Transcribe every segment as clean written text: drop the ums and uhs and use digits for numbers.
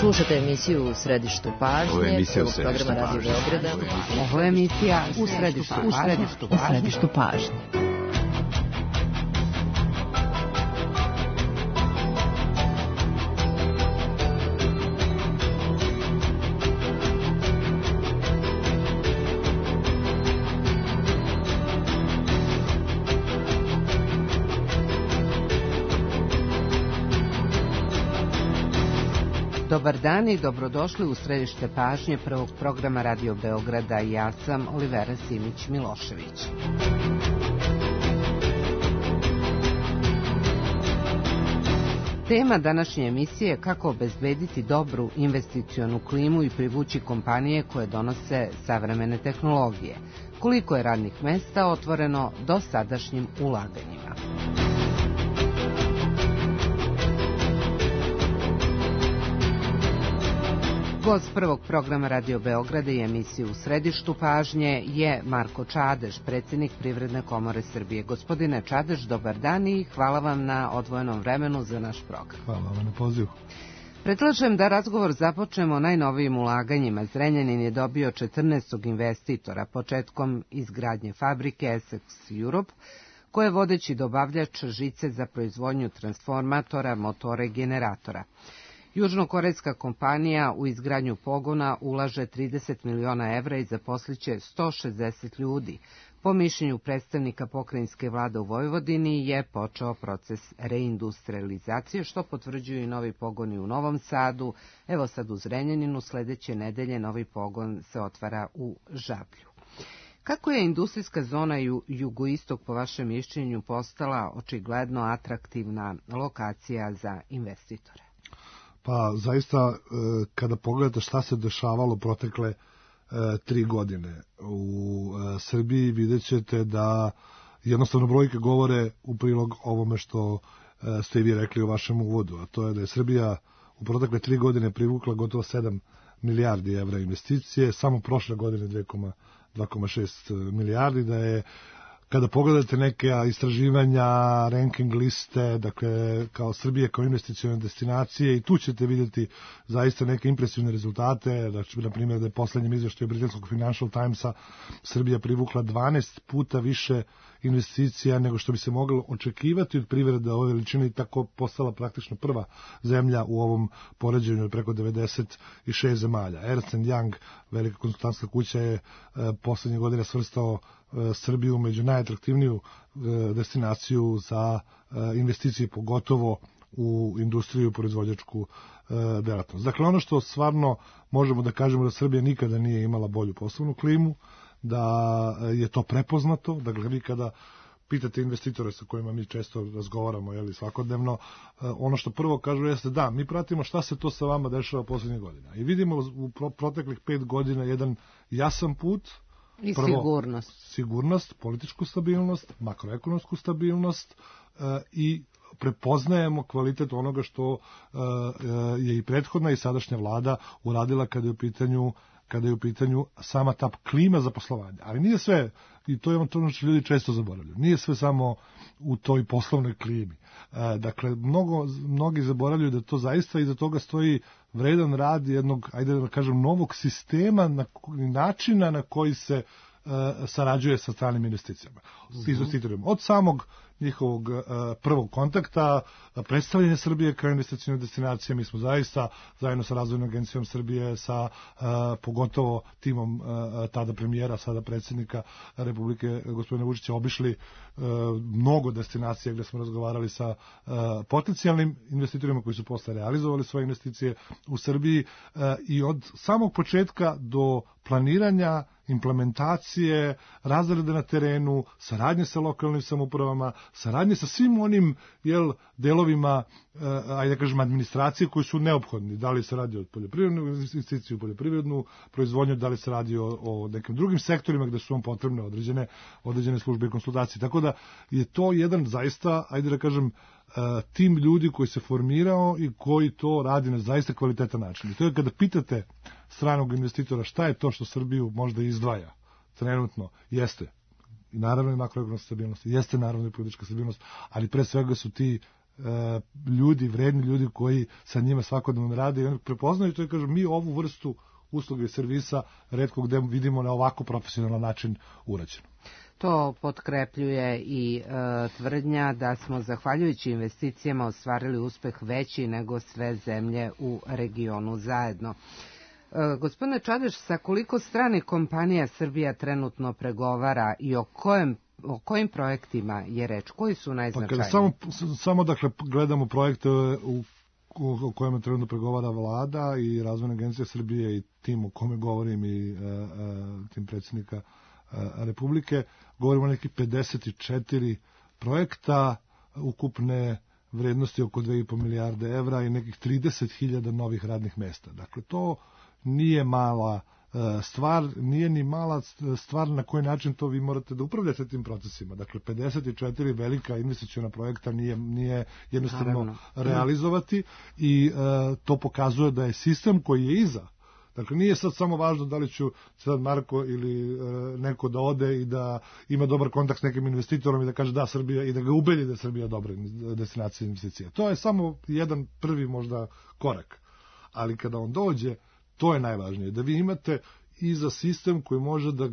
Slušate emisiju U središtu pažnje, prvog programa Radio Beograda. Ovo je emisija U središtu pažnje. Dobar dan i dobrodošli u središte pažnje prvog programa Radio Beograda. Ja sam Olivera Simić-Milošević. Tema današnje emisije je kako obezbediti dobru investicionu klimu i privući kompanije koje donose savremene tehnologije. Koliko je radnih mesta otvoreno dosadašnjim ulaganjima. Gost prvog programa Radio Beograda i emisije U središtu pažnje je Marko Čadež, predsjednik Privredne komore Srbije. Gospodine Čadež, dobar dan i hvala vam na odvojenom vremenu za naš program. Hvala vam na pozivu. Predlažem da razgovor započnemo najnovijim ulaganjima. Zrenjanin je dobio 14. investitora početkom izgradnje fabrike Essex Europe, koja je vodeći dobavljač žice za proizvodnju transformatora, motora i generatora. Južnokorejska kompanija u izgradnju pogona ulaže 30 miliona evra i zaposliće 160 ljudi. Po mišljenju predstavnika pokrajinske vlade u Vojvodini je počeo proces reindustrializacije, što potvrđuju i novi pogoni u Novom Sadu. Evo sad u Zrenjaninu, sledeće nedelje novi pogon se otvara u Žablju. Kako je industrijska zona jugoistok po vašem mišljenju postala očigledno atraktivna lokacija za investitore? Pa zaista kada pogledate šta se dešavalo protekle 3 godine u Srbiji, vidjet ćete da jednostavno brojke govore u prilog ovome što ste i vi rekli u vašem uvodu, a to je da je Srbija u protekle 3 godine privukla gotovo 7 milijardi evra investicije, samo prošle godine 2,6 milijardi, da je kada pogledate neke istraživanja, ranking liste, dakle, kao Srbije, kao investicione destinacije, i tu ćete vidjeti zaista neke impresivne rezultate, znači, na primjer, da je poslednjem izveštaju britanskog Financial Timesa Srbija privukla 12 puta više investicija nego što bi se moglo očekivati od privrede ove veličine i tako postala praktično prva zemlja u ovom poređenju od preko 96 zemalja. Ernst & Young, velika konsultantska kuća, je poslednje godine svrstao Srbiju među najatraktivniju destinaciju za investicije, pogotovo u industriju i proizvođačku delatnost. Dakle, ono što stvarno možemo da kažemo da Srbija nikada nije imala bolju poslovnu klimu, da je to prepoznato. Dakle, vi kada pitate investitore sa kojima mi često razgovaramo svakodnevno, ono što prvo kažu jeste da, mi pratimo šta se to sa vama dešava poslednjih godina. I vidimo u proteklih 5 godina jedan jasan put. I prvo, sigurnost, političku stabilnost, makroekonomsku stabilnost i prepoznajemo kvalitet onoga što je i prethodna i sadašnja vlada uradila kada je u pitanju sama ta klima za poslovanje. Ali nije sve, i to je ono što ljudi često zaboravljaju, nije sve samo u toj poslovnoj klimi. Dakle, mnogi zaboravljaju da to zaista iza toga stoji vredan rad jednog, ajde da kažem, novog sistema, načina na koji se sarađuje sa stranim investicijama. Od samog njihovog prvog kontakta, predstavljanje Srbije kao investicijne destinacije. Mi smo zaista zajedno sa Razvojnom agencijom Srbije, sa pogotovo timom tada premijera, sada predsjednika Republike gospodina Vučića, obišli mnogo destinacija gde smo razgovarali sa potencijalnim investitorima koji su posle realizovali svoje investicije u Srbiji, i od samog početka do planiranja, implementacije, razrade na terenu, saradnje sa lokalnim samoupravama, saradnje sa svim onim delovima, ajde da kažem, administracije koji su neophodni. Da li se radi o poljoprivrednu investiciju, poljoprivrednu proizvodnju, da li se radi o nekim drugim sektorima gde su vam potrebne određene službe i konsultacije. Tako da je to jedan zaista, ajde da kažem, tim ljudi koji se formirao i koji to radi na zaista kvalitetan način. I to je kada pitate stranog investitora šta je to što Srbiju možda izdvaja trenutno, jeste i naravno i makroekonomska stabilnost, jeste naravno i politička stabilnost, ali pre svega su ti ljudi, vredni ljudi koji sa njima svakodnevno rade i oni prepoznaju to i kažu mi ovu vrstu usluge i servisa retko gde vidimo na ovako profesionalan način urađeno. To potkrepljuje i tvrdnja da smo zahvaljujući investicijama ostvarili uspeh veći nego sve zemlje u regionu zajedno. Gospodine Čadež, sa koliko stranih kompanija Srbija trenutno pregovara i o kojim projektima je reč? Koji su najznačajniji? Samo dakle, gledamo projekte o kojima trenutno pregovara vlada i Razvojna agencija Srbije i tim o kome govorim i tim predsjednika Republike, govorimo o nekih 54 projekta ukupne vrednosti oko 2,5 milijarde evra i nekih 30.000 novih radnih mesta. Dakle, to nije mala stvar, nije ni mala stvar na koji način to vi morate da upravljate tim procesima. Dakle, 54 velika investiciona projekta nije jednostavno realizovati i to pokazuje da je sistem koji je iza. Dakle, nije sad samo važno da li ću sad Marko ili neko da ode i da ima dobar kontakt s nekim investitorom i da kaže da Srbija i da ga ubedi da je Srbija dobra destinacija investicija. To je samo jedan prvi možda korak. Ali kada on dođe, to je najvažnije. Da vi imate iza sistem koji može da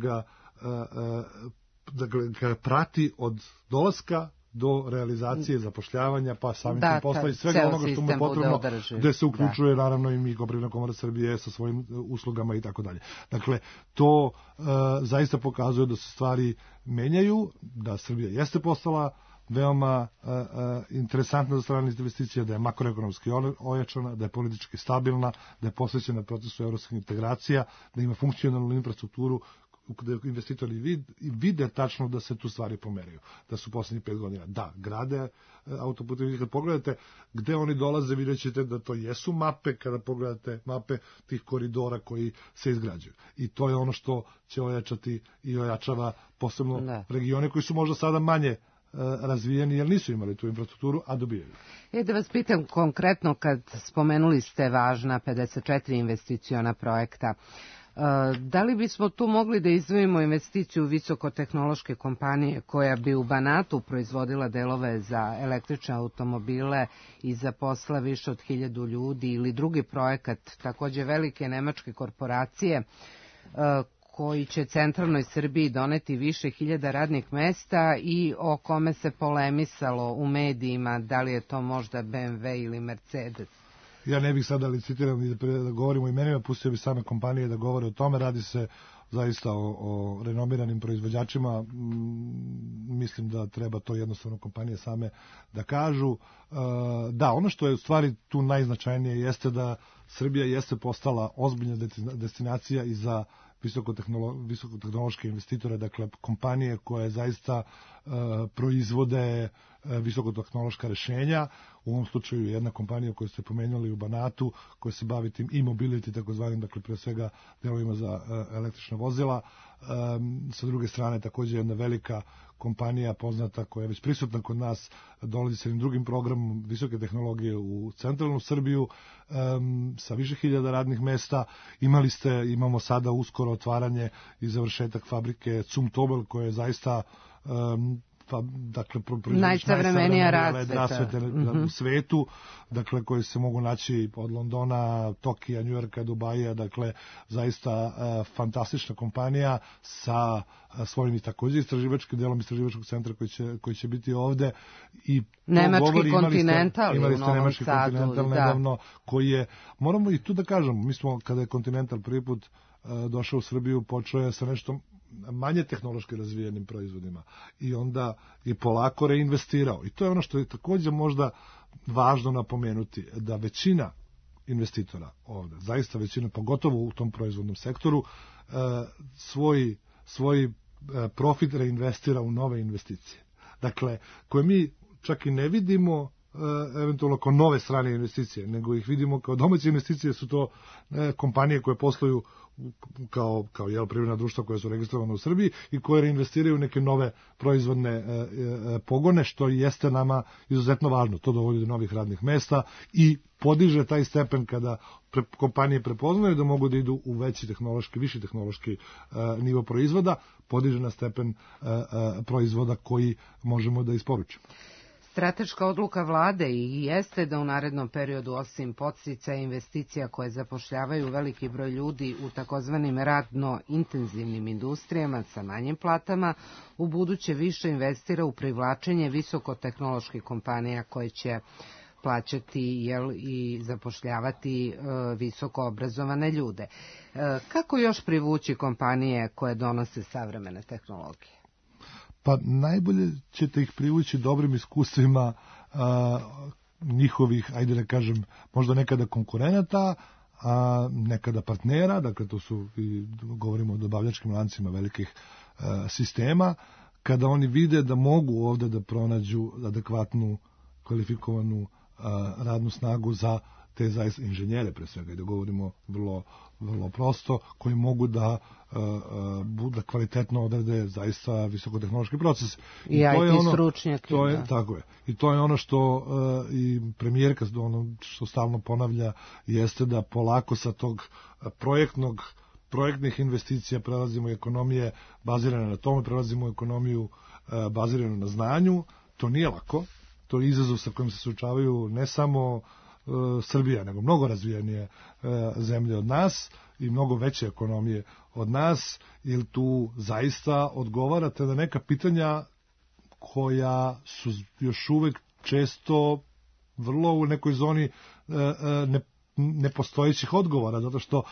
ga prati od dolaska do realizacije, zapošljavanja, pa samim tim posla i svega onoga što mu je potrebno, gde se uključuje naravno i mi kao Privredna komora Srbije sa svojim uslugama i tako dalje. Dakle, to zaista pokazuje da se stvari menjaju, da Srbija jeste postala veoma interesantna za strane investicije, da je makroekonomski ojačana, da je politički stabilna, da je posvećena procesu evropskih integracija, da ima funkcionalnu infrastrukturu gde investitori vide tačno da se tu stvari pomeraju, da su poslednjih 5 godina, da, grade autoputevi. Kad pogledate gde oni dolaze, vidjet ćete da to jesu mape, kada pogledate mape tih koridora koji se izgrađuju. I to je ono što će ojačati i ojačava posebno regione koji su možda sada manje razvijeni, jer nisu imali tu infrastrukturu, a dobijaju. Da vas pitam konkretno, kad spomenuli ste važna 54 investiciona projekta, da li bismo tu mogli da izdvojimo investiciju visokotehnološke kompanije koja bi u Banatu proizvodila delove za električne automobile i zaposla više od 1000 ljudi, ili drugi projekat takođe velike nemačke korporacije koji će centralnoj Srbiji doneti više hiljada radnih mesta i o kome se polemisalo u medijima, da li je to možda BMW ili Mercedes? Ja ne bih sada licitiram i da govorimo o imenima, pustio bi same kompanije da govore o tome, radi se zaista o renomiranim proizvođačima, mislim da treba to jednostavno kompanije same da kažu. Da, ono što je u stvari tu najznačajnije jeste da Srbija jeste postala ozbiljna destinacija i za visokotehnološke investitore, dakle kompanije koje zaista proizvode visokotehnološka rešenja. U ovom slučaju jedna kompanija koju ste pomenuli u Banatu, koja se bavi tim e-mobility, takozvanim, dakle pre svega delovima za električna vozila. Sa druge strane takođe jedna velika kompanija poznata koja je već prisutna kod nas, dolazi sa jednim drugim programom visoke tehnologije u centralnu Srbiju sa više hiljada radnih mesta. Imamo sada uskoro otvaranje i završetak fabrike Zumtobel, koja je zaista dakle najsavremenija rasvete u svetu, dakle koji se mogu naći od Londona, Tokija, Njujorka, Dubaja, dakle zaista fantastična kompanija sa svojim i takođe istraživačkim delom istraživačkog centra koji će biti ovde. I nemački Continental imali ste nemački Continental nedavno, koji je, moramo i tu da kažemo, mi smo kada je Continental prvi put došao u Srbiju, počeo je sa nešto manje tehnološki razvijenim proizvodima i onda je polako reinvestirao. I to je ono što je takođe možda važno napomenuti, da većina investitora ovde, zaista većina, pogotovo u tom proizvodnom sektoru, svoj profit reinvestira u nove investicije. Dakle, koje mi čak i ne vidimo eventualno kao nove strane investicije, nego ih vidimo kao domaće investicije. Su to kompanije koje posluju kao privredna društva koja su registrovane u Srbiji i koje reinvestiraju neke nove proizvodne pogone, što jeste nama izuzetno važno. To dovodi do novih radnih mesta i podiže taj stepen kada kompanije prepoznaju da mogu da idu u viši tehnološki nivo proizvoda, podiže na stepen proizvoda koji možemo da isporučimo. Strateška odluka vlade i jeste da u narednom periodu osim podsticaja investicija koje zapošljavaju veliki broj ljudi u takozvanim radno intenzivnim industrijama sa manjim platama, u buduće više investira u privlačenje visokotehnoloških kompanija koje će plaćati i zapošljavati visoko obrazovane ljude. Kako još privući kompanije koje donose savremene tehnologije? Pa najbolje ćete ih privući dobrim iskustvima njihovih, ajde da kažem, možda nekada konkurenata, a nekada partnera, dakle to su, govorimo o dobavljačkim lancima velikih sistema, kada oni vide da mogu ovde da pronađu adekvatnu, kvalifikovanu radnu snagu za te zaista inženjere pre svega, i da govorimo vrlo prosto, koji mogu da kvalitetno odrade zaista visokotehnološki proces. I IT stručnjaki. Tako je. I to je ono što i premijerka što stalno ponavlja, jeste da polako sa tog projektnih investicija prelazimo u ekonomije bazirane na tome, prelazimo u ekonomiju baziranu na znanju. To nije lako. To je izazov sa kojim se suočavaju ne samo Srbija, nego mnogo razvijenije zemlje od nas i mnogo veće ekonomije od nas, jer tu zaista odgovarate na neka pitanja koja su još uvek često vrlo u nekoj zoni nepostojećih odgovora, zato što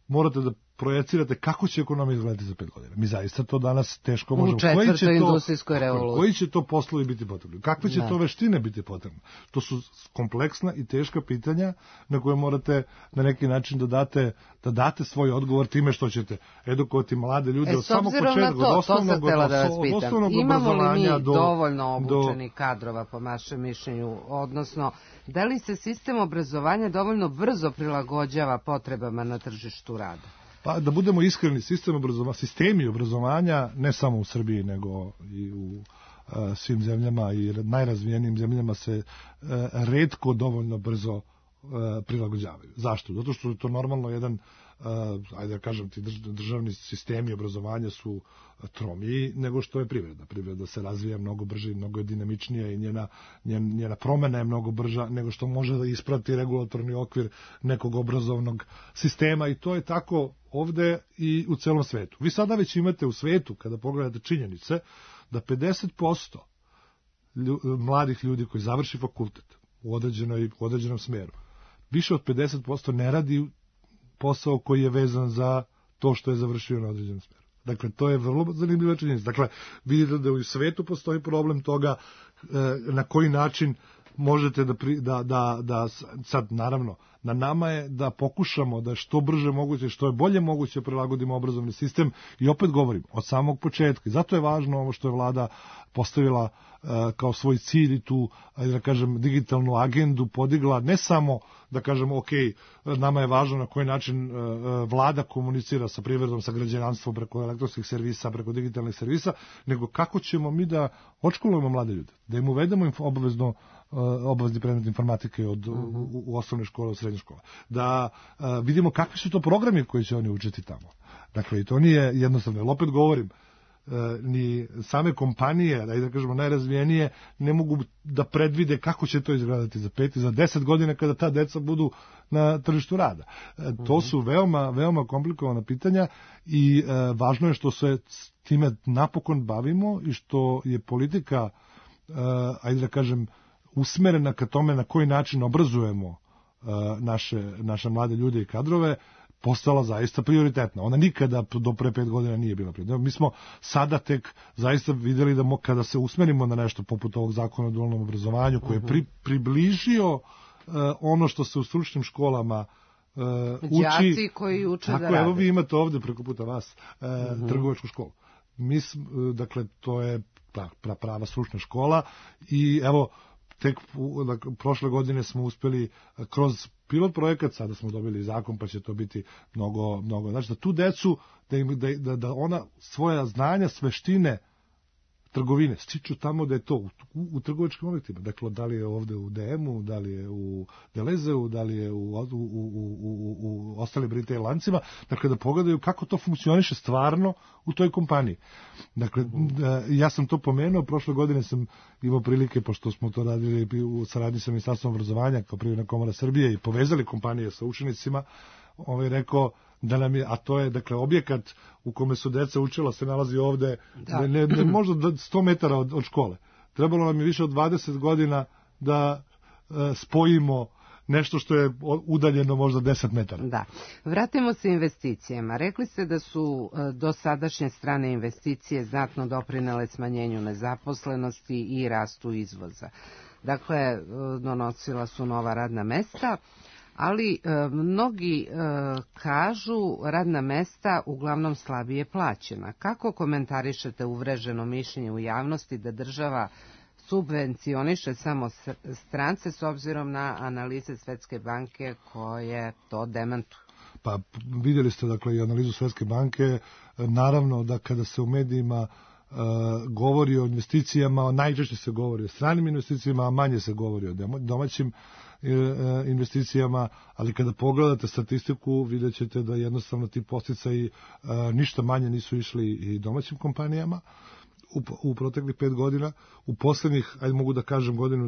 morate da projecirate kako će ekonomija izgledati za 5 godina. Mi zaista to danas teško možemo. U četvrtoj industrijskoj revoluciji. Koji će to poslovi biti potrebni? Kakve će to veštine biti potrebne? To su kompleksna i teška pitanja na koje morate na neki način da date svoj odgovor time što ćete edukovati mlade ljude od samog početka, od osnovnog obrazovanja. Imamo li mi dovoljno obučenih kadrova po vašem mišljenju? Odnosno, da li se sistem obrazovanja dovoljno brzo prilagođava potrebama na tržištu rada? Pa da budemo iskreni, sistemi obrazovanja, ne samo u Srbiji, nego i u svim zemljama i najrazvijenijim zemljama se retko dovoljno brzo prilagođavaju. Zašto? Zato što je to normalno jedan, ajde da kažem ti, državni sistemi obrazovanja su tromiji nego što je privreda. Privreda se razvija mnogo brže i mnogo je dinamičnija i njena promena je mnogo brža nego što može da isprati regulatorni okvir nekog obrazovnog sistema, i to je tako ovde i u celom svetu. Vi sada već imate u svetu, kada pogledate činjenice, da 50% mladih ljudi koji završi fakultet u određenom smeru, više od 50% ne radi posao koji je vezan za to što je završio na određenom smeru. Dakle, to je vrlo zanimljiva činjenica. Dakle, vidite da u svetu postoji problem toga na koji način možete da sad, naravno, na nama je da pokušamo da što brže moguće, što je bolje moguće prilagodimo obrazovni sistem, i opet govorim, od samog početka. I zato je važno ovo što je vlada postavila kao svoj cilj i tu, da kažem, digitalnu agendu podigla, ne samo da kažem, ok, nama je važno na koji način vlada komunicira sa privredom, sa građanstvom preko elektronskih servisa, preko digitalnih servisa, nego kako ćemo mi da odškolujemo mlade ljude, da im uvedemo obavezni predmet informatike u osnovne škole, u srednje škole, da vidimo kakvi su to programi koji će oni učiti tamo. Dakle, i to nije jednostavno, jer opet govorim, ni same kompanije, da kažemo najrazvijenije, ne mogu da predvide kako će to izgledati za 5 i za 10 godina kada ta deca budu na tržištu rada. To su veoma komplikovana pitanja i važno je što se time napokon bavimo i što je politika, ajde da kažem, usmerena ka tome na koji način obrazujemo naše mlade ljude i kadrove, postala zaista prioritetna. Ona nikada do pre 5 godina nije bila prioritetna. Mi smo sada tek zaista videli da kada se usmerimo na nešto poput ovog zakona o dualnom obrazovanju, koji je približio ono što se u stručnim školama uči. Đaci koji uče da rade. Evo vi imate ovde preko puta vas trgovačku školu. Dakle, to je prava stručna škola i evo, tek prošle godine smo uspeli kroz pilot projekat, sada smo dobili zakon pa će to biti mnogo, znači da tu decu, da ona svoja znanja, veštine trgovine stiču tamo da je to u trgovačkim objektima. Dakle, da li je ovde u DM-u, da li je u Delezeu, da li je u ostalim retail lancima, dakle da pogledaju kako to funkcioniše stvarno u toj kompaniji. Dakle, ja sam to pomenuo, prošle godine sam imao prilike, pošto smo to radili u saradnji sa Ministarstvom obrazovanja kao Privredna komora Srbije i povezali kompanije sa učenicima, rekao da nam je, a to je, dakle, objekat u kome su deca učila se nalazi ovde, ne možda 100 metara od škole. Trebalo nam je više od 20 godina da spojimo nešto što je udaljeno možda 10 metara. Da. Vratimo se investicijama. Rekli ste da su dosadašnje strane investicije znatno doprinele smanjenju nezaposlenosti i rastu izvoza. Dakle, donosila su nova radna mesta, ali mnogi kažu radna mesta uglavnom slabije plaćena. Kako komentarišete uvreženo mišljenje u javnosti da država subvencioniše samo strance s obzirom na analize Svetske banke koje to demantuju? Pa vidjeli ste, dakle, i analizu Svetske banke. Naravno da kada se u medijima govori o investicijama, najčešće se govori o stranim investicijama, a manje se govori o domaćim investicijama, ali kada pogledate statistiku vidjet ćete da jednostavno ti podsticaji ništa manje nisu išli i domaćim kompanijama u proteklih 5 godina. U poslednjih, ajde mogu da kažem, godinu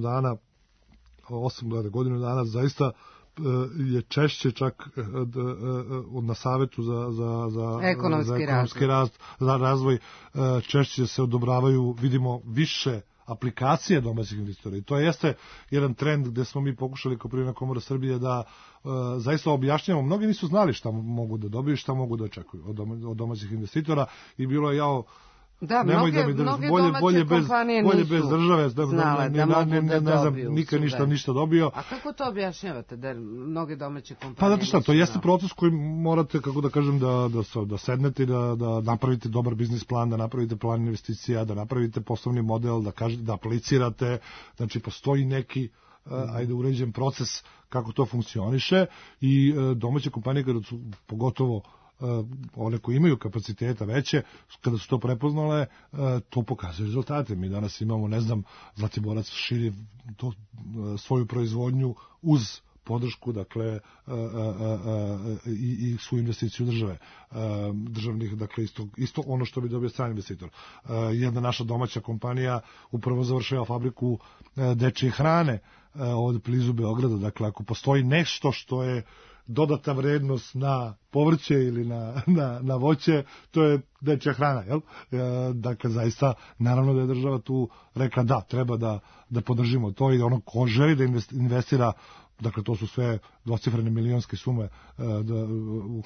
dana zaista je češće čak na Savetu za ekonomski rast, za razvoj, češće se odobravaju, vidimo, više aplikacije domaćih investitora. I to jeste jedan trend gde smo mi pokušali kao Privredna komora Srbije da zaista objašnjamo. Mnogi nisu znali šta mogu da dobiju, šta mogu da očekuju od domaćih investitora i bilo je da, mnoge domaće kompanije nisu države, znale da mogu da dobiju. Nikad ništa dobio. A kako to objašnjavate, da mnoge domaće kompanije Pa zato šta, to jeste proces koji morate, kako da kažem, da sednete, da napravite dobar biznis plan, da napravite plan investicija, da napravite poslovni model, da aplicirate, znači postoji neki uređen proces kako to funkcioniše i domaće kompanije, kada su pogotovo one koji imaju kapaciteta veće, kada su to prepoznale, to pokazuje rezultate. Mi danas imamo, Zlatiborac širi svoju proizvodnju uz podršku, dakle, i svu investiciju državnih, dakle, isto ono što bi dobio strani investitor. Jedna naša domaća kompanija upravo završava fabriku dečje hrane od blizu Beograda. Dakle, ako postoji nešto što je dodata vrednost na povrće ili na voće, to je dečja hrana, jel? Dakle, zaista, naravno da je država tu rekla da, treba da podržimo to i ono ko želi da investira, dakle, to su sve dvocifrene milionske sume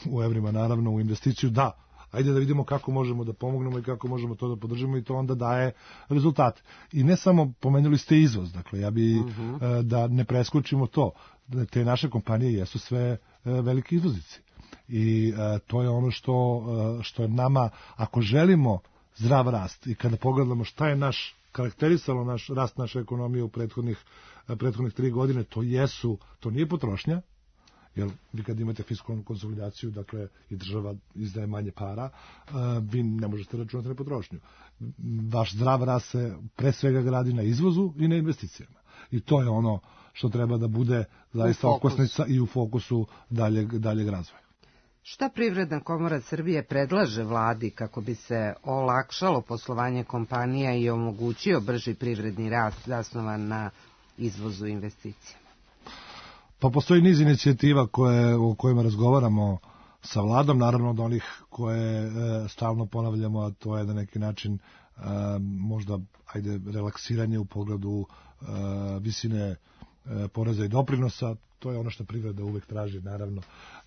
u evrima, naravno, u investiciju, da, ajde da vidimo kako možemo da pomognemo i kako možemo to da podržimo i to onda daje rezultate. I ne samo, pomenuli ste izvoz, dakle, ja bi da ne preskočimo to, te naše kompanije jesu sve veliki izvoznici. I to je ono što je nama, ako želimo zdrav rast i kada pogledamo šta je karakterisalo rast naše ekonomije u prethodnih 3 godine, to nije potrošnja, jer vi kad imate fiskalnu konsolidaciju, dakle, i država izdaje manje para, vi ne možete računati na potrošnju. Vaš zdrav rast se pre svega gradi na izvozu i na investicijama. I to je ono što treba da bude zaista okosnica i u fokusu daljeg razvoja. Šta Privredna komora Srbije predlaže vladi kako bi se olakšalo poslovanje kompanija i omogućio brži privredni rast zasnovan na izvozu investicijama? Pa postoji niz inicijativa o kojima razgovaramo sa vladom, naravno od onih koje stalno ponavljamo, a to je na neki način možda relaksiranje u pogledu visine poreza i doprinosa. To je ono što privreda uvek traži, naravno,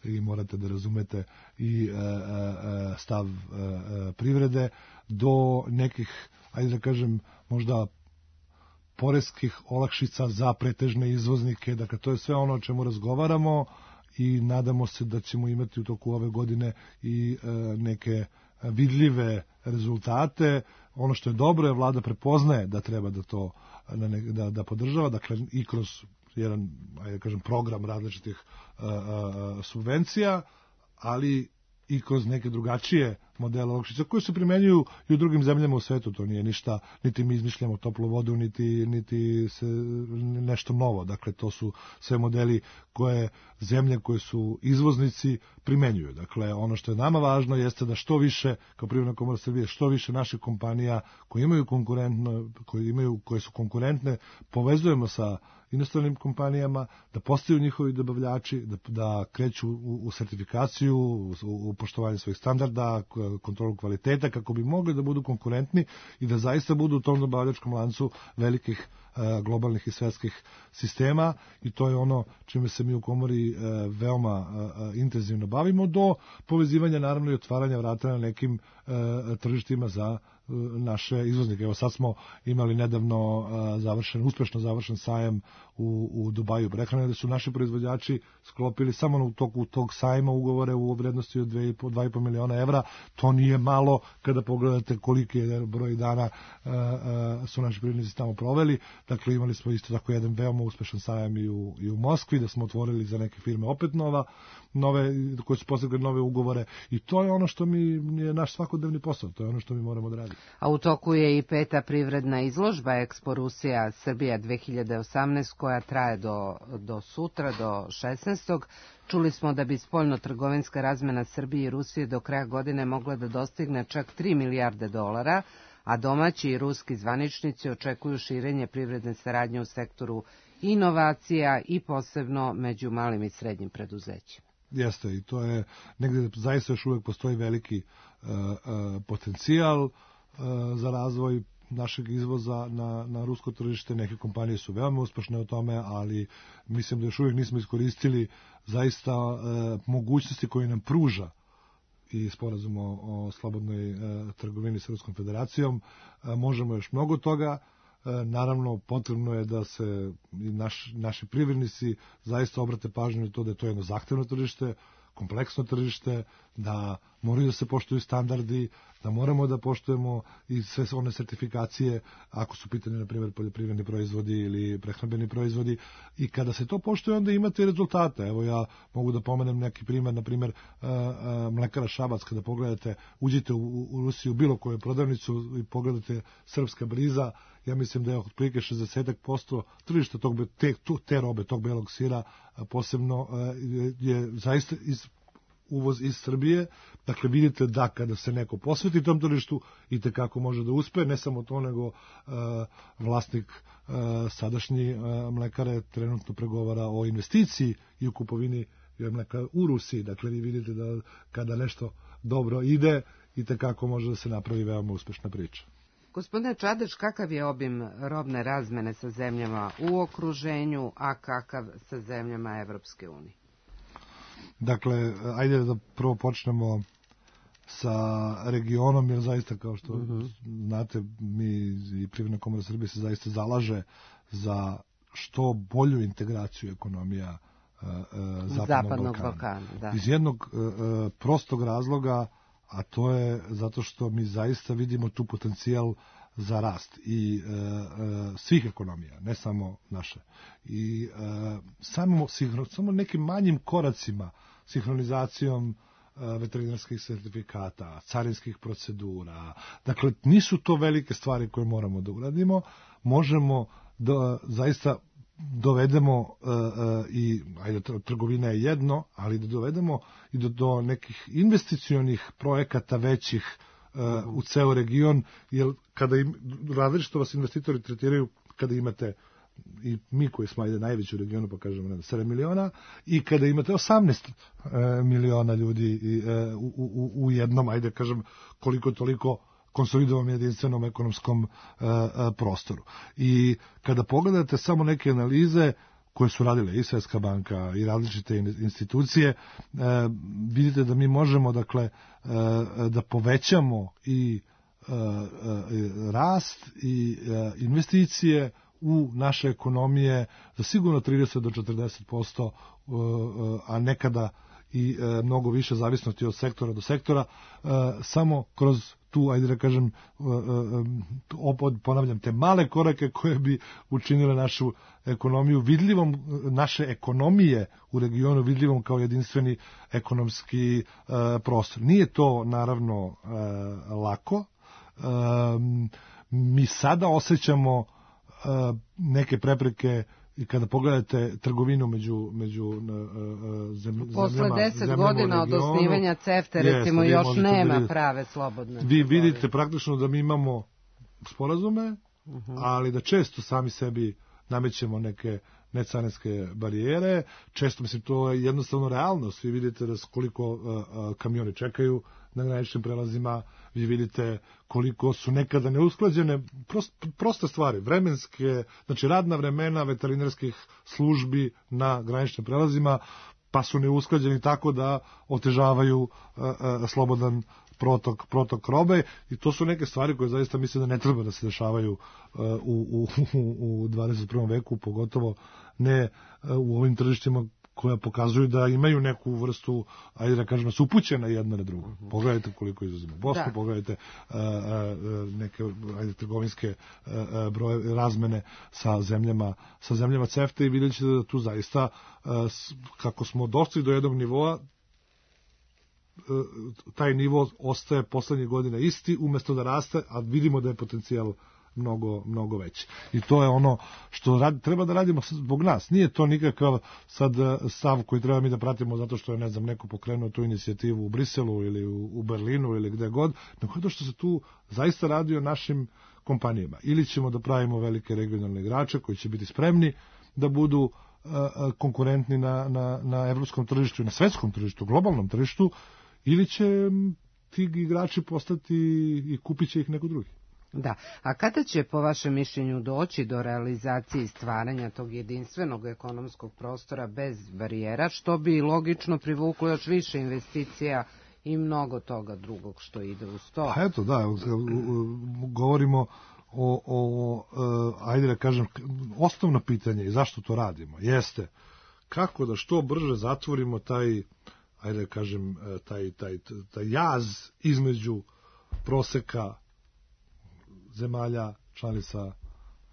i morate da razumete i stav privrede, do nekih, da kažem, možda poreskih olakšica za pretežne izvoznike. Dakle, to je sve ono o čemu razgovaramo i nadamo se da ćemo imati u toku ove godine i neke vidljive rezultate. Ono što je dobro je vlada prepoznaje da treba da to da podržava, dakle, i kroz jedan, program različitih subvencija, ali i kroz neke drugačije modela olakšica koji se primenjuju i u drugim zemljama u svetu. To nije ništa, niti mi izmišljamo toplu vodu, niti se nešto novo. Dakle, to su sve modeli koje zemlje koje su izvoznici primenjuju. Dakle, ono što je nama važno jeste da što više, kao Privredna komora Srbije, što više naših kompanija koje su konkurentne, povezujemo sa inostranim kompanijama, da postaju njihovi dobavljači, da kreću u sertifikaciju, u poštovanje svojih standarda, kontrolu kvaliteta, kako bi mogli da budu konkurentni i da zaista budu u tom dobavljačkom lancu velikih globalnih i svetskih sistema, i to je ono čime se mi u komori veoma intenzivno bavimo, do povezivanja naravno i otvaranja vrata na nekim tržištima za naše izvoznike. Evo sad smo imali nedavno uspešno završen sajam u Dubaju prehrane, gde su naši proizvođači sklopili samo u toku tog sajma ugovore u vrednosti od 2,5 miliona evra. To nije malo kada pogledate koliki je broj dana su naši privrednici tamo proveli. Dakle, imali smo isto tako jedan veoma uspešan sajam i u Moskvi, da smo otvorili za neke firme opet nove koje su postigli nove ugovore, i to je ono što je naš svakodnevni posao, to je ono što mi moramo da radimo. A u toku je i 5. privredna izložba Expo Rusija Srbija 2018 koja traje do sutra, do 16. Čuli smo da bi spoljno-trgovinska razmena Srbije i Rusije do kraja godine mogla da dostigne čak 3 milijarde dolara, a domaći i ruski zvaničnici očekuju širenje privredne saradnje u sektoru inovacija i posebno među malim i srednjim preduzećima. Jeste, i to je negde zaista još uvek postoji veliki potencijal za razvoj našeg izvoza na rusko tržište. Neke kompanije su veoma uspešne u tome, ali mislim da još uvijek nismo iskoristili zaista mogućnosti koje nam pruža i sporazum o slobodnoj trgovini sa Ruskom federacijom. Možemo još mnogo toga. Naravno, potrebno je da se naši privrednici zaista obrate pažnju na to da je to jedno zahtevno tržište, kompleksno tržište, da moraju da se poštuju standardi, da moramo da poštujemo i sve one sertifikacije, ako su pitanje, na primjer, poljoprivredni proizvodi ili prehrambeni proizvodi, i kada se to poštuje, onda imate rezultate. Evo, ja mogu da pomenem neki primjer, na primjer, mlekara Šabac. Kada pogledate, uđite u Rusiju, bilo koju prodavnicu i pogledate srpska briza, ja mislim da je otprilike 60% tržišta te robe, tog belog sira, posebno je zaista uvoz iz Srbije. Dakle, vidite da kada se neko posveti tom tržištu, i tekako može da uspe. Ne samo to, nego vlasnik sadašnji mlekare trenutno pregovara o investiciji i u kupovini mleka u Rusiji. Dakle, vi vidite da kada nešto dobro ide, i tekako može da se napravi veoma uspešna priča. Gospodine Čadež, kakav je obim robne razmene sa zemljama u okruženju, a kakav sa zemljama Evropske unije? Dakle, ajde da prvo počnemo sa regionom, jer zaista, kao što znate, mi i Privredna komora Srbije se zaista zalaže za što bolju integraciju ekonomija Zapadnog Balkana. Da. Iz jednog prostog razloga, a to je zato što mi zaista vidimo tu potencijal za rast i svih ekonomija, ne samo naše. I samo nekim manjim koracima, sinhronizacijom veterinarskih sertifikata, carinskih procedura, dakle, nisu to velike stvari koje moramo da uradimo, možemo da zaista dovedemo i, ajde, trgovina je jedno, ali da dovedemo i do nekih investicionih projekata većih u ceo region, jer kada različito vas investitori tretiraju, kada imate, i mi koji smo najveći u regionu, pa kažemo 7 miliona, i kada imate 18 miliona ljudi u jednom, ajde kažem, koliko toliko konsolidovanom jedinstvenom ekonomskom prostoru. I kada pogledate samo neke analize koje su radile i Svetska banka i različite institucije, vidite da mi možemo, dakle, da povećamo i rast i investicije u naše ekonomije za sigurno 30 do 40%, a nekada i mnogo više zavisnosti od sektora do sektora, samo kroz tu, ajde da kažem, ponavljam, te male korake koje bi učinile našu ekonomiju vidljivom, naše ekonomije u regionu vidljivom kao jedinstveni ekonomski prostor. Nije to, naravno, lako. Mi sada osjećamo neke prepreke i kada pogledate trgovinu među zemljama. Posle 10 godina od osnivanja CEFTA, recimo, još nema prave slobodne. Vi vidite praktično da mi imamo sporazume, ali da često sami sebi namećemo neke necarinske barijere. Često, mislim, to je jednostavno realnost. Vi vidite da koliko kamioni čekaju na graničnim prelazima, vi vidite koliko su nekada neusklađene proste stvari, vremenske, znači radna vremena veterinarskih službi na graničnim prelazima, pa su neusklađeni tako da otežavaju slobodan protok robe, i to su neke stvari koje zaista mislim da ne treba da se dešavaju u 21. veku, pogotovo ne u ovim tržištima koja pokazuju da imaju neku vrstu, ajde da kažem, su upućena jedna na drugu. Pogledajte koliko izuzimo Bosnu, pogledajte neke trgovinske broje razmene sa zemljama CEFTA i vidjet ćete da tu zaista, kako smo došli do jednog nivoa, taj nivo ostaje poslednjih godina isti, umesto da raste, a vidimo da je potencijal mnogo veći. I to je ono što treba da radimo zbog nas. Nije to nikakav sad stav koji treba mi da pratimo zato što je, ne znam, neko pokrenuo tu inicijativu u Briselu ili u Berlinu ili gde god, nego to što se tu zaista radi o našim kompanijama. Ili ćemo da pravimo velike regionalne igrače koji će biti spremni da budu konkurentni na evropskom tržištu i na svetskom tržištu, globalnom tržištu, ili će ti igrači postati i kupit će ih neko drugi. Da, a kada će po vašem mišljenju doći do realizacije i stvaranja tog jedinstvenog ekonomskog prostora bez barijera, što bi logično privuklo još više investicija i mnogo toga drugog što ide uz to? A eto, da, govorimo o ajde da kažem, osnovno pitanje i zašto to radimo jeste kako da što brže zatvorimo taj, ajde da kažem, taj jaz između proseka zemalja članica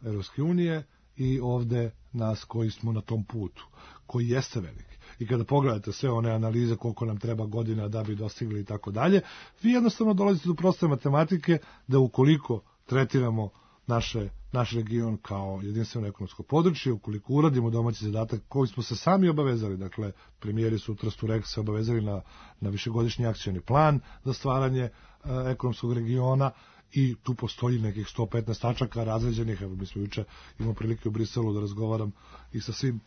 Evropske unije i ovde nas koji smo na tom putu, koji jeste veliki. I kada pogledate sve one analize koliko nam treba godina da bi dostigli i tako dalje, vi jednostavno dolazite do proste matematike da ukoliko tretiramo naš region kao jedinstveno ekonomsko područje, ukoliko uradimo domaći zadatak koji smo se sami obavezali, dakle, premijeri su u Trstu se obavezali na višegodišnji akcioni plan za stvaranje ekonomskog regiona, i tu postoji nekih 115 tačaka razređenih. Evo, mi smo juče imali prilike u Briselu da razgovaram i sa svim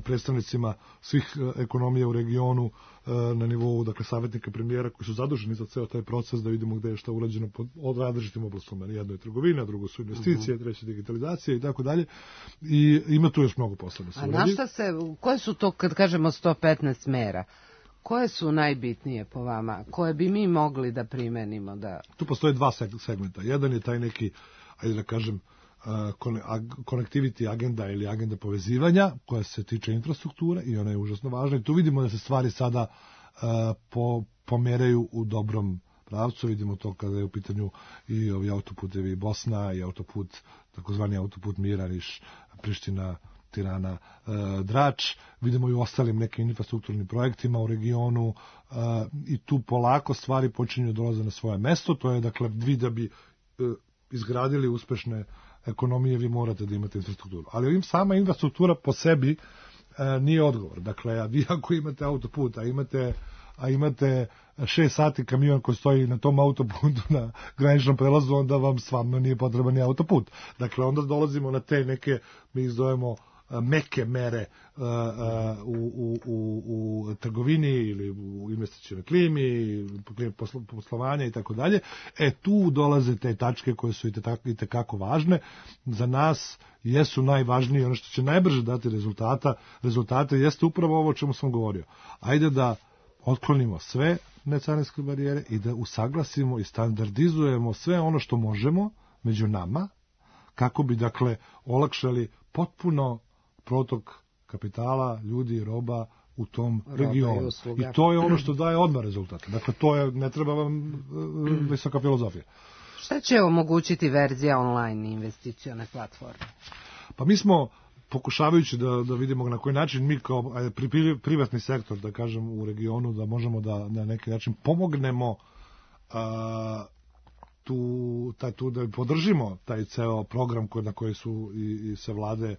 predstavnicima svih ekonomija u regionu na nivou, dakle, savjetnika premijera koji su zaduženi za ceo taj proces, da vidimo gde je šta urađeno od različitim oblastima. Jedno je trgovina, drugo su investicije, treće digitalizacija i tako dalje. I ima tu još mnogo posla da se uradi. Koje su to, kad kažemo 115 mera? Koje su najbitnije po vama, koje bi mi mogli da primenimo? Tu postoje dva segmenta. Jedan je taj neki, ajde da kažem, connectivity agenda ili agenda povezivanja koja se tiče infrastrukture i ona je užasno važna. I tu vidimo da se stvari sada pomeraju u dobrom pravcu. Vidimo to kada je u pitanju i ovi autoputevi Bosna i autoput, takozvani autoput Mira, Niš, Priština, Tirana, Drač, vidimo i u ostalim nekim infrastrukturnim projektima u regionu, i tu polako stvari počinju dolaze na svoje mesto. To je, dakle, vi da bi izgradili uspešne ekonomije, vi morate da imate infrastrukturu. Ali sama infrastruktura po sebi nije odgovor. Dakle, vi ako imate autoput, a imate 6 sati kamion koji stoji na tom autoputu na graničnom prelazu, onda vam stvarno nije potreban ni autoput. Dakle, onda dolazimo na te neke, mi ih zovemo meke mere u trgovini ili u investicionoj klimi, poslovanja i tako dalje. Tu dolaze te tačke koje su i tekako važne. Za nas jesu najvažnije, ono što će najbrže dati rezultate jeste upravo ovo o čemu sam govorio. Ajde da otklonimo sve necarinske barijere i da usaglasimo i standardizujemo sve ono što možemo među nama, kako bi, dakle, olakšali potpuno protok kapitala, ljudi i roba u tom regionu. I to je ono što daje odmah rezultate. Dakle, ne treba vam visoka filozofija. Šta će omogućiti verzija online investicione platforme? Pa mi smo, pokušavajući da vidimo na koji način mi kao privatni sektor, da kažem, u regionu, da možemo da na neki način pomognemo da podržimo taj ceo program na koji su i se vlade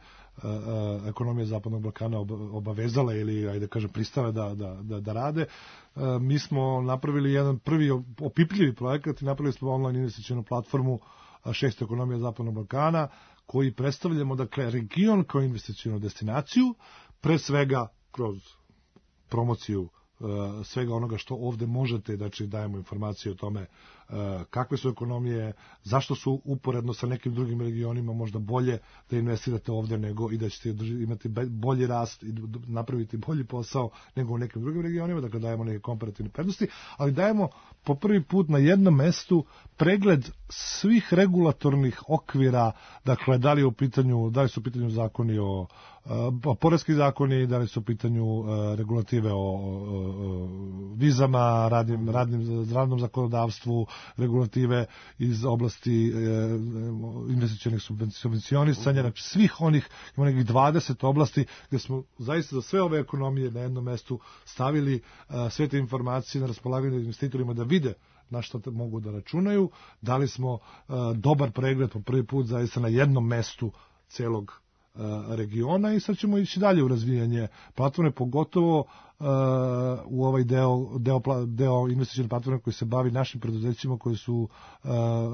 ekonomije Zapadnog Balkana obavezale ili, ajde kažem, pristale da rade. Mi smo napravili jedan prvi opipljivi projekat i napravili smo online investicionu platformu 6. ekonomija Zapadnog Balkana, koji predstavljamo, dakle, region kao investicionu destinaciju, pre svega kroz promociju svega onoga što ovde možete, znači dajemo informacije o tome kakve su ekonomije, zašto su uporedno sa nekim drugim regionima možda bolje da investirate ovde nego i da ćete imati bolji rast i napraviti bolji posao nego u nekim drugim regionima, dakle dajemo neke komparativne prednosti, ali dajemo po prvi put na jednom mestu pregled svih regulatornih okvira, dakle da li su u pitanju zakoni o poreski zakoni, da li su u pitanju regulative o vizama, radnom zakonodavstvu, regulative iz oblasti investicionih subvencionisanja, znači svih onih, ima nekih 20 oblasti gde smo zaista za sve ove ekonomije na jednom mestu stavili sve te informacije na raspolaganje investitorima da vide na što mogu da računaju, dali smo dobar pregled po prvi put zaista na jednom mestu celog regiona i sad ćemo ići dalje u razvijanje platforme, pogotovo u ovaj deo investicione platforme koji se bavi našim preduzećima koji su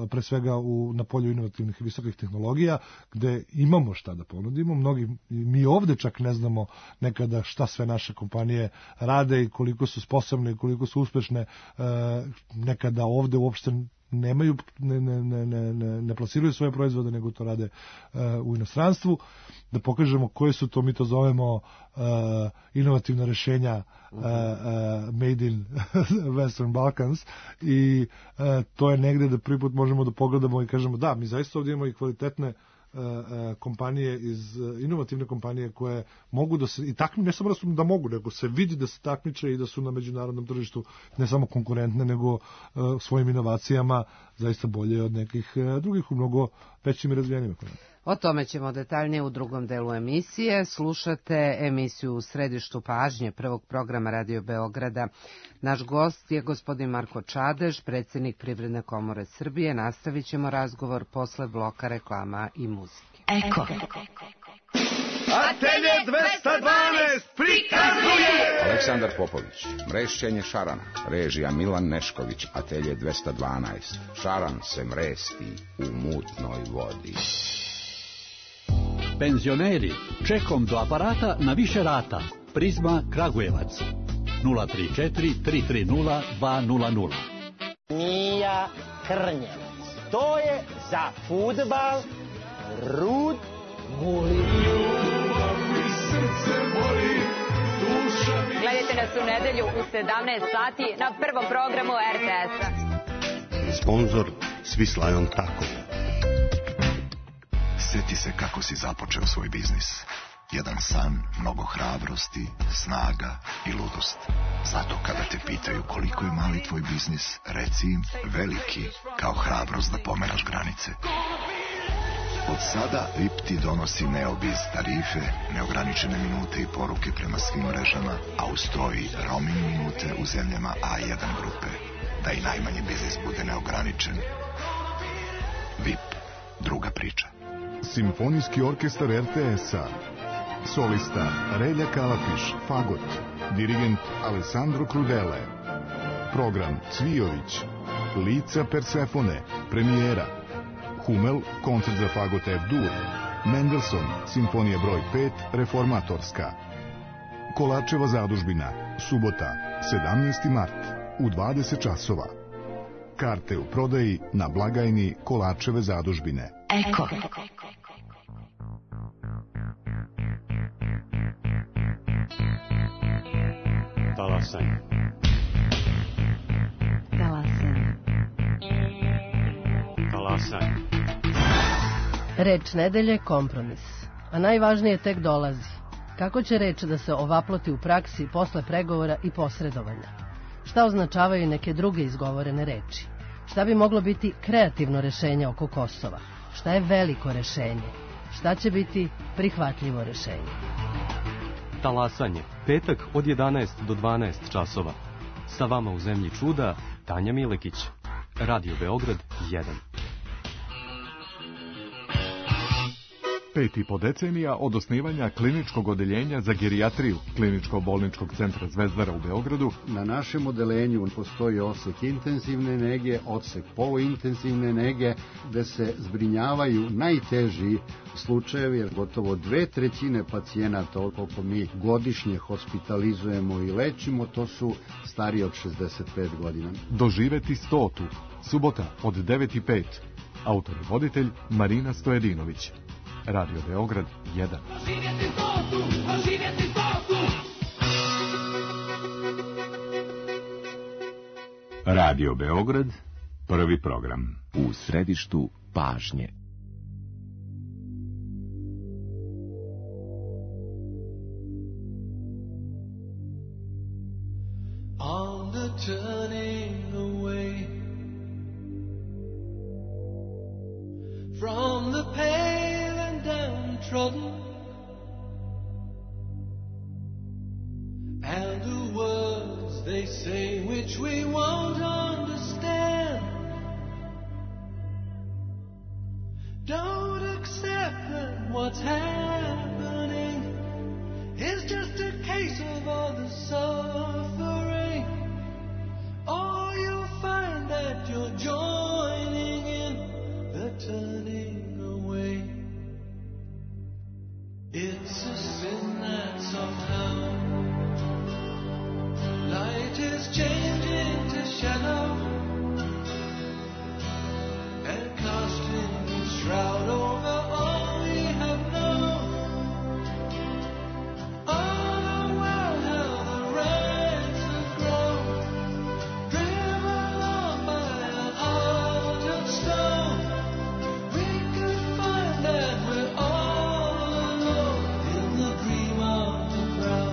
pre svega na polju inovativnih i visokih tehnologija, gde imamo šta da ponudimo. Mi ovde čak ne znamo nekada šta sve naše kompanije rade i koliko su sposobne i koliko su uspešne. Nekada ovde uopšte nemaju, ne plasiraju svoje proizvode, nego to rade u inostranstvu, da pokažemo koje su to, mi to zovemo inovativna rešenja made in Western Balkans i to je negde da prvi put možemo da pogledamo i kažemo da, mi zaista ovdje imamo i kvalitetne kompanije, inovativne kompanije koje mogu da se, i takmi ne samo da mogu, nego se vidi da se takmiče i da su na međunarodnom tržištu ne samo konkurentne, nego svojim inovacijama zaista bolje od nekih drugih u mnogo većim i razvijenim ekonomijama. O tome ćemo detaljnije u drugom delu emisije. Slušate emisiju U središtu pažnje prvog programa Radio Beograda. Naš gost je gospodin Marko Čadež, predsjednik Privredne komore Srbije. Nastavit ćemo razgovor posle bloka reklama i muzike. Eko. Atelje 212 prikazuje Aleksandar Popović, mrešćenje šarana, režija Milan Nešković, Atelje 212. Šaran se mresti u mutnoj vodi. Penzioneri, čekom do aparata na više rata. Prizma Kragujevac 034 330 200. Mija Krnjevac, to je za fudbal Rud Guli. Gledajte nas u nedelju u 17 sati na prvom programu RTS-a. Sponzor Swiss Lion Taco. Sjeti se kako si započeo svoj biznis. Jedan san, mnogo hrabrosti, snaga i ludost. Zato kada te pitaju koliko je mali tvoj biznis, reci im veliki, kao hrabrost da pomeraš granice. Od sada VIP ti donosi Neobiz tarife, neograničene minute i poruke prema svim mrežama, a uz to i roaming minute u zemljama A1 grupe, da i najmanji biznis bude neograničen. VIP, druga priča. Simfonijski orkestar RTS-a. Solista Relja Kalafiš, fagot. Dirigent Alessandro Crudele. Program Cvijović. Lica Persefone, premijera. Hummel, koncert za fagot F-dur. Mendelssohn, simfonija broj 5, reformatorska. Kolarčeva zadužbina, subota, 17. mart, u 20 časova. Karte u prodaji na blagajni Kolarčeve zadužbine. Eko. Talasanj. Talasanj. Talasanj. Reč nedelje kompromis, a najvažnije tek dolazi. Kako će reč da se ovaploti u praksi posle pregovora i posredovanja? Šta označavaju neke druge izgovorene reči? Šta bi moglo biti kreativno rešenje oko Kosova? Šta je veliko rešenje? Šta će biti prihvatljivo rešenje? Talasanje, petak od 11 do 12 časova. Sa vama u zemlji čuda, Tanja Milekić. Radio Beograd 1. 5,5 decenija od osnivanja kliničkog odeljenja za gerijatriju Kliničko-bolničkog centra Zvezdara u Beogradu. Na našem odelenju postoji odsek intenzivne nege, odsek poluintenzivne nege, gde se zbrinjavaju najteži slučajevi, jer gotovo 2/3 pacijenata, koliko mi godišnje hospitalizujemo i lečimo, to su stariji od 65 godina. Doživeti 100. Subota od 9:05. Autor i voditelj Marina Stojedinović. Radio Beograd 1. Radio Beograd, prvi program. U središtu pažnje. On the turning away from the pale and downtrodden, and the words they say which we won't understand. Don't accept that what's happening is just a case of all the suffering, or you'll find that you're joining in the turning away. It's a sin that somehow light is changing to shadow and casting its shroud over all we have known. All the world, how the ranks have grown, driven on by a heart of stone. We could find that we're all alone in the dream of the crowd.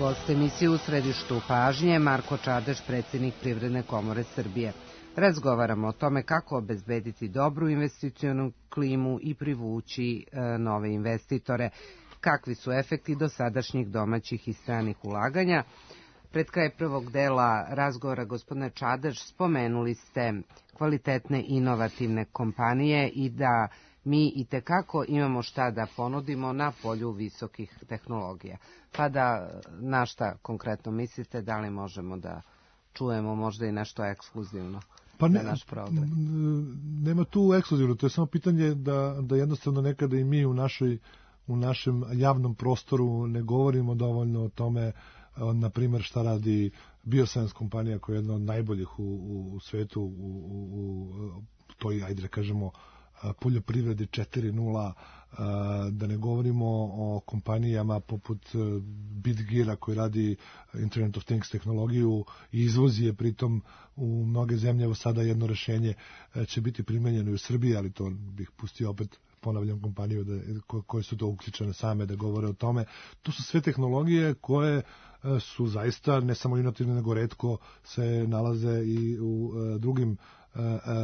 Gost emisije U središtu pažnje Marko Čadež, predsjednik Privredne komore Srbije. Razgovaramo o tome kako obezbediti dobru investicionu klimu i privući nove investitore. Kakvi su efekti dosadašnjih domaćih i stranih ulaganja? Pred kraj prvog dela razgovora, gospodine Čadež, spomenuli ste kvalitetne inovativne kompanije i da mi itekako imamo šta da ponudimo na polju visokih tehnologija. Pa da, na šta konkretno mislite, da li možemo da čujemo možda i nešto ekskluzivno pa za naš program? Nema tu ekskluzivno, to je samo pitanje da jednostavno nekada i mi u našem javnom prostoru ne govorimo dovoljno o tome, na primjer šta radi Bioscience kompanija koja je jedna od najboljih u svetu u toj, ajde da kažemo, poljoprivredi 4.0, da ne govorimo o kompanijama poput Bitgeara koji radi Internet of Things tehnologiju i izvozi je pritom u mnoge zemlje. Evo sada jedno rešenje će biti primenjeno i u Srbiji, ali to bih pustio opet, ponavljam, kompaniju koje su to uključene same da govore o tome. To su sve tehnologije koje su zaista ne samo inovativne, nego retko se nalaze i u drugim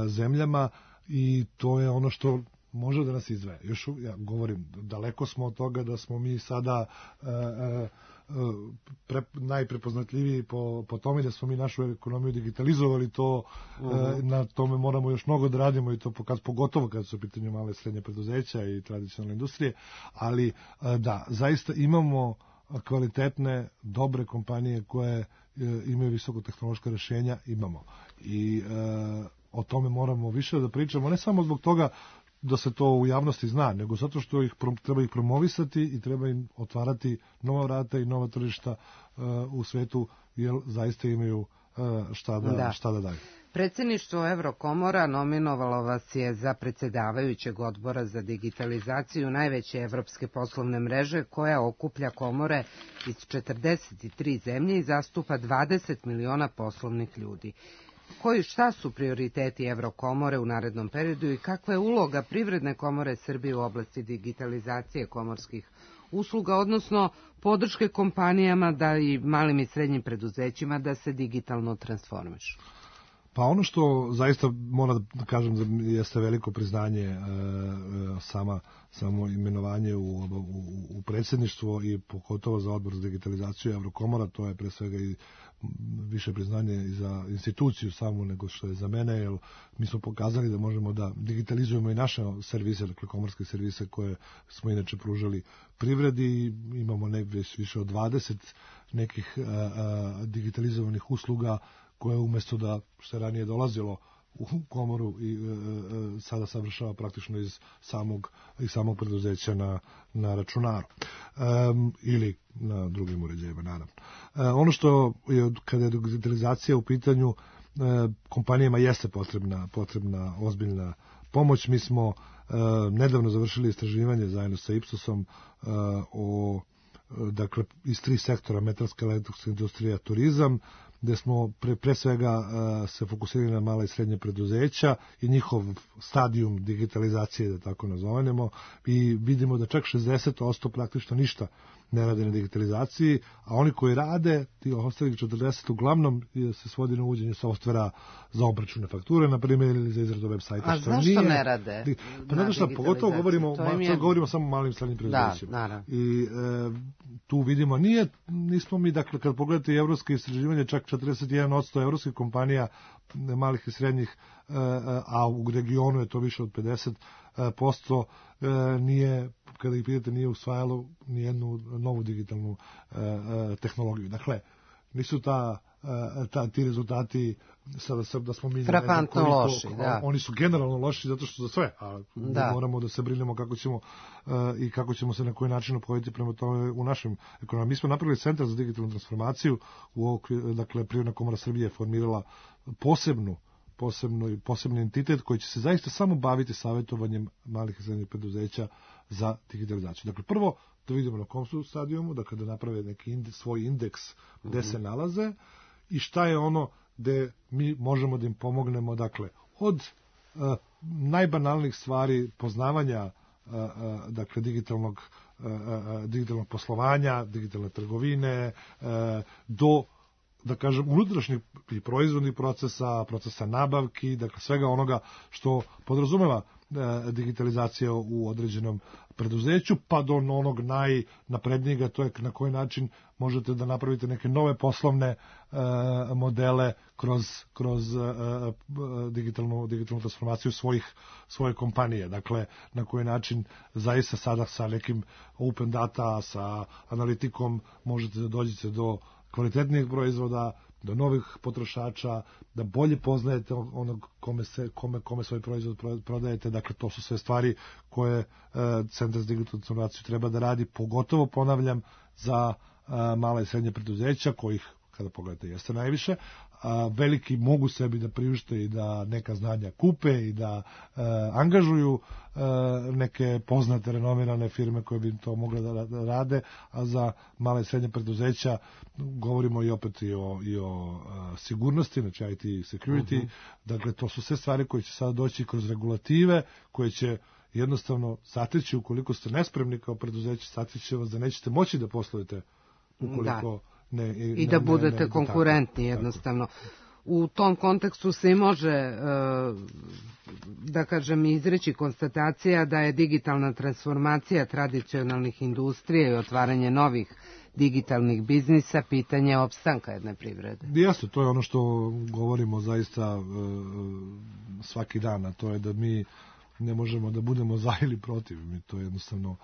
zemljama i to je ono što može da nas izdvaja. Još ja govorim, daleko smo od toga da smo mi sada najprepoznatljiviji po tome da smo mi našu ekonomiju digitalizovali, to na tome moramo još mnogo da radimo i to pogotovo kad su u pitanju male i srednje preduzeća i tradicionalne industrije, ali da, zaista imamo kvalitetne, dobre kompanije koje imaju visokotehnološka rešenja, imamo. I o tome moramo više da pričamo, ne samo zbog toga da se to u javnosti zna, nego zato što treba ih promovisati i treba im otvarati nova vrata i nova tržišta u svetu, jer zaista imaju šta da daju. Predsjedništvo Evrokomora nominovalo vas je za predsjedavajućeg odbora za digitalizaciju najveće evropske poslovne mreže koja okuplja komore iz 43 zemlje i zastupa 20 miliona poslovnih ljudi. Šta su prioriteti Evrokomore u narednom periodu i kakva je uloga Privredne komore Srbije u oblasti digitalizacije komorskih usluga, odnosno podrške kompanijama da i malim i srednjim preduzećima da se digitalno transformišu? Pa ono što zaista moram da kažem jeste veliko priznanje samo imenovanje u predsjedništvo i pogotovo za odbor za digitalizaciju Evrokomora, to je pre svega i više priznanje i za instituciju samu nego što je za mene, jer mi smo pokazali da možemo da digitalizujemo i naše servise, dakle komorske servise koje smo inače pružali privredi. Imamo više od 20 nekih digitalizovanih usluga koje umjesto da se ranije dolazilo u komoru i sada savršava praktično iz samog preduzeća na računaru ili na drugim uređajima, naravno. Ono što je, kada je digitalizacija u pitanju, kompanijama jeste potrebna ozbiljna pomoć. Mi smo nedavno završili istraživanje zajedno sa Ipsosom dakle iz 3 sektora: metalska, elektronska industrija, turizam, gde smo pre svega se fokusirali na mala i srednje preduzeća i njihov stadijum digitalizacije, da tako nazovemo, i vidimo da čak 60% praktično ništa ne rade na digitalizaciji, a oni koji rade, ti ostalih 40 uglavnom se svodi na uvođenje softvera za obračune fakture, na primjer, ili za izradu web sajta. A zašto ne rade? Pa ne što, pogotovo govorimo samo o malim i srednjim preduzećima. Da, i tu vidimo, nismo mi, dakle, kad pogledate evropske istraživanje, čak 41% evropskih kompanija malih i srednjih, a u regionu je to više od 50%, nije, kada ih pitate, nije usvajalo nijednu novu digitalnu tehnologiju. Dakle, nisu ti rezultati sada da smo mi frapantno loši, da. Oni su generalno loši zato što za sve, a moramo da se brinemo kako ćemo se na koji način ophoditi prema tome u našem ekonomiji. Mi smo napravili centar za digitalnu transformaciju, dakle Privredna komora Srbije je formirala posebni entitet koji će se zaista samo baviti savjetovanjem malih i srednjih preduzeća za digitalizaciju. Dakle, prvo da vidimo na kom su stadijumu, dakle da naprave neki svoj indeks gde se nalaze i šta je ono gde mi možemo da im pomognemo, dakle, od najbanalnijih stvari poznavanja dakle digitalnog digitalnog poslovanja, digitalne trgovine, do, da kažem, unutrašnjih i proizvodnih procesa nabavki, dakle svega onoga što podrazumeva digitalizacija u određenom preduzeću, pa do onog najnaprednijega, to je na koji način možete da napravite neke nove poslovne modele kroz digitalnu transformaciju svoje kompanije. Dakle, na koji način zaista sada sa nekim open data, sa analitikom možete da dođete do kvalitetnijih proizvoda, do novih potrošača, da bolje poznajete onog kome svoj proizvod prodajete. Dakle, to su sve stvari koje Centar za digitalnu transformaciju treba da radi, pogotovo, ponavljam, za mala i srednje preduzeća, kojih, kada pogledate, jeste najviše. Veliki mogu sebi da priušte i da neka znanja kupe i da angažuju neke poznate, renomirane firme koje bi to mogle da rade, a za male i srednje preduzeća govorimo i opet i o sigurnosti, znači IT security. Dakle, to su sve stvari koje će sada doći kroz regulative, koje će jednostavno sateći, ukoliko ste nespremni kao preduzeće, sateći vas da nećete moći da poslujete ukoliko i da budete konkurentni jednostavno. U tom kontekstu se i može, da kažem, izreći konstatacija da je digitalna transformacija tradicionalnih industrija i otvaranje novih digitalnih biznisa pitanje opstanka jedne privrede. Jeste, to je ono što govorimo zaista svaki dan, a to je da mi ne možemo da budemo za ili protiv. To je jednostavno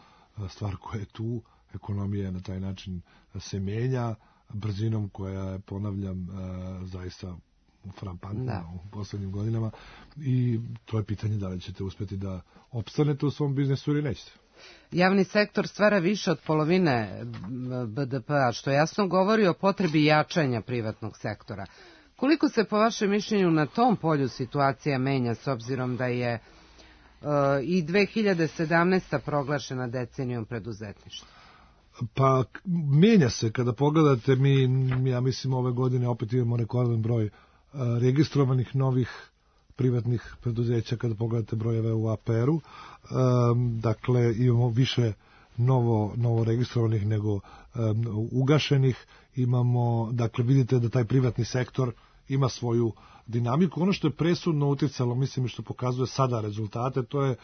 stvar koja je tu. Ekonomija na taj način se menja brzinom koja je, ponavljam, zaista frapantna u poslednjim godinama, i to je pitanje da li ćete uspeti da opstanete u svom biznesu ili nećete. Javni sektor stvara više od polovine BDP-a, što jasno govori o potrebi jačanja privatnog sektora. Koliko se, po vašem mišljenju, na tom polju situacija menja, s obzirom da je i 2017. proglašena decenijom preduzetništva? Pa, menja se. Kada pogledate, ja mislim, ove godine opet imamo rekordan broj registrovanih novih privatnih preduzeća, kada pogledate brojeve u APR-u. Dakle, imamo više novo registrovanih nego ugašenih. Imamo, dakle, vidite da taj privatni sektor ima svoju dinamiku. Ono što je presudno uticalo, mislim, što pokazuje sada rezultate, to je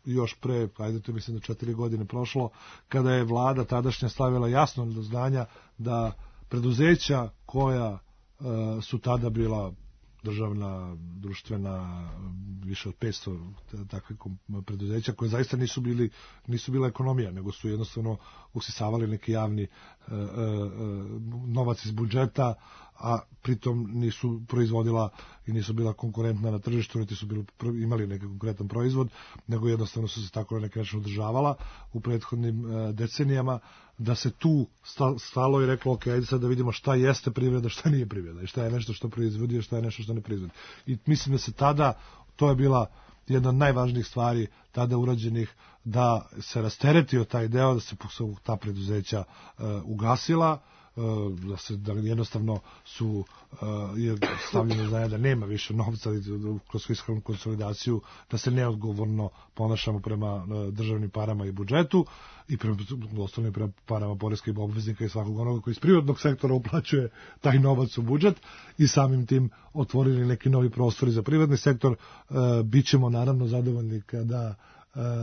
još pre, mislim da 4 godine prošlo, kada je vlada tadašnja stavila jasno do znanja da preduzeća koja su tada bila državna, društvena, više od 500 takvih preduzeća koje zaista nisu bila ekonomija, nego su jednostavno usisavali neki javni novac iz budžeta, a pritom nisu proizvodila i nisu bila konkurentna na tržištu, niti su imali neki konkretan proizvod, nego jednostavno su se tako na neki način održavala u prethodnim decenijama, da se tu stalo i reklo, ok, ajde sad da vidimo šta jeste privreda, šta nije privreda, i šta je nešto što proizvodi, a šta je nešto što ne proizvodi. I mislim da se tada, to je bila jedna od najvažnijih stvari tada urađenih, da se rasteretio taj deo, da se ta preduzeća ugasila, da jednostavno su stavljeno znanje da nema više novca kroz fiskalnu konsolidaciju, da se neodgovorno ponašamo prema državnim parama i budžetu i prema parama poreskih obveznika i svakog onoga koji iz privatnog sektora uplaćuje taj novac u budžet, i samim tim otvorili neki novi prostori za privatni sektor. Bićemo naravno zadovoljni kada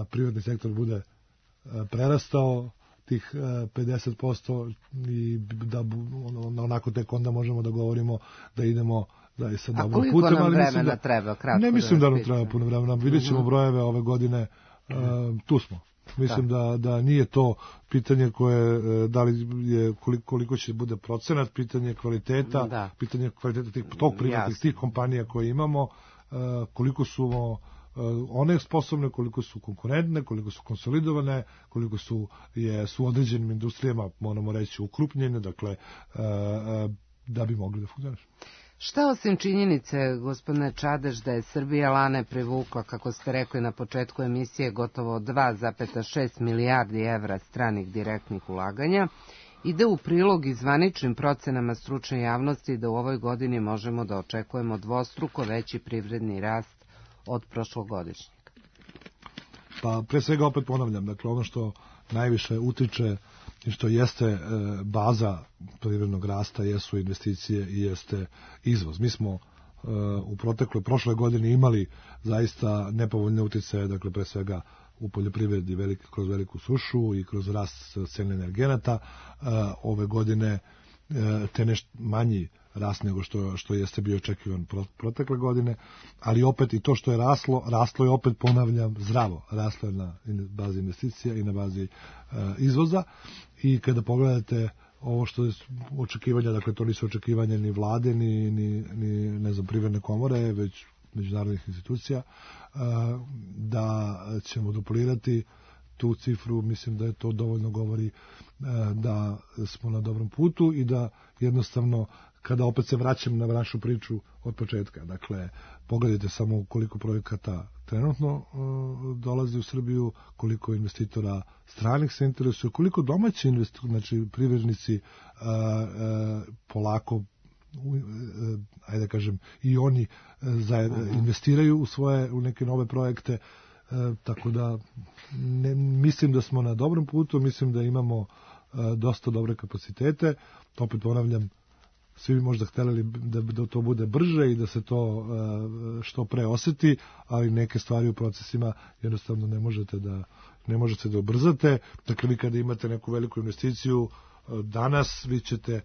privatni sektor bude prerastao tih 50% i da onako tek onda možemo da govorimo da idemo da je sad dobro putem. A koliko nam vremena treba? Ne mislim da nam treba puno vremena. Vidjet ćemo brojeve ove godine. Tu smo. Mislim da nije to pitanje koje, da li je, koliko će bude procenat, pitanje kvaliteta, pitanje kvaliteta tog privatnih, tih kompanija koje imamo, koliko su one sposobne, koliko su konkurentne, koliko su konsolidovane, koliko su u određenim industrijama, moramo reći, ukrupnjene, dakle, da bi mogli da funkcionišu. Šta osim činjenice, gospodine Čadež, da je Srbija lane privukla, kako ste rekli na početku emisije, gotovo 2,6 milijardi evra stranih direktnih ulaganja, ide u prilog i zvaničnim procenama stručne javnosti da u ovoj godini možemo da očekujemo dvostruko veći privredni rast od prošlogodišnjeg? Pa pre svega opet ponavljam, dakle ono što najviše utiče i što jeste baza privrednog rasta jesu investicije i jeste izvoz. Mi smo u prošloj godini imali zaista nepovoljne uticaje, dakle pre svega u poljoprivredi kroz veliku sušu i kroz rast cene energenata. Ove godine te nešto manji rast nego što jeste bio očekivan protekle godine, ali opet i to što je raslo je opet, ponavljam, zdravo. Raslo je na bazi investicija i na bazi izvoza i kada pogledate ovo što je očekivanja, dakle to nisu očekivanja ni vlade, ni ne znam, privredne komore, već međunarodnih institucija, da ćemo duplirati tu cifru, mislim da je to dovoljno govori da smo na dobrom putu i da jednostavno, kada opet se vraćam na našu priču od početka, dakle, pogledajte samo koliko projekata trenutno dolazi u Srbiju, koliko investitora stranih se interesuje, koliko domaći znači privrednici polako, ajde da kažem, i oni investiraju u neke nove projekte, tako da mislim da smo na dobrom putu, mislim da imamo dosta dobre kapacitete. Opet ponavljam, svi bi možda htjeli da to bude brže i da se to što pre oseti, ali neke stvari u procesima jednostavno ne možete da ubrzate. Dakle, vi kada imate neku veliku investiciju danas, vi ćete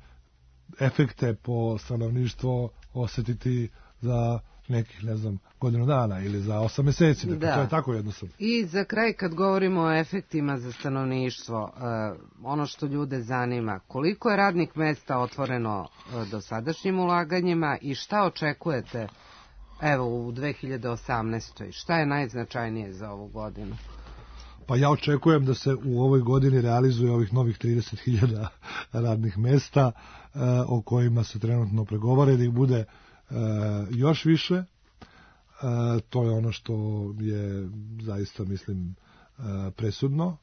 efekte po stanovništvo osetiti za nekih, ne znam, godinu dana ili za 8 meseci. Dakle, to je tako jednostavno. I za kraj, kad govorimo o efektima za stanovništvo, ono što ljude zanima, koliko je radnih mesta otvoreno dosadašnjim ulaganjima i šta očekujete u 2018. Šta je najznačajnije za ovu godinu? Pa ja očekujem da se u ovoj godini realizuje ovih novih 30.000 radnih mesta o kojima se trenutno pregovara, da ih bude još više. To je ono što je zaista, mislim, presudno.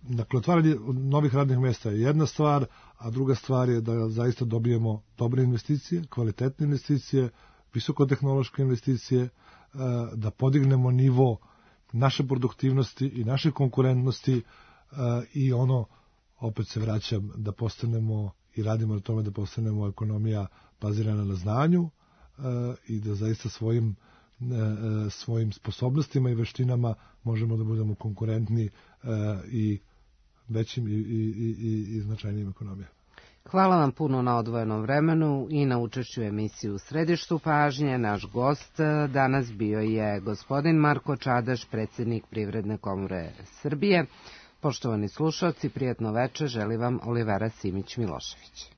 Dakle, otvaranje novih radnih mesta je jedna stvar, a druga stvar je da zaista dobijemo dobre investicije, kvalitetne investicije, visokotehnološke investicije, da podignemo nivo naše produktivnosti i naše konkurentnosti i ono, opet se vraćam, da postanemo i radimo na tome da postanemo ekonomija bazirana na znanju i da zaista svojim sposobnostima i veštinama možemo da budemo konkurentni i većim i značajnijim ekonomijama. Hvala vam puno na odvojenom vremenu i na učešću emisiji U središtu pažnje. Naš gost danas bio je gospodin Marko Čadež, predsjednik Privredne komore Srbije. Poštovani slušalci, prijatno večer želi vam Olivera Simić-Milošević.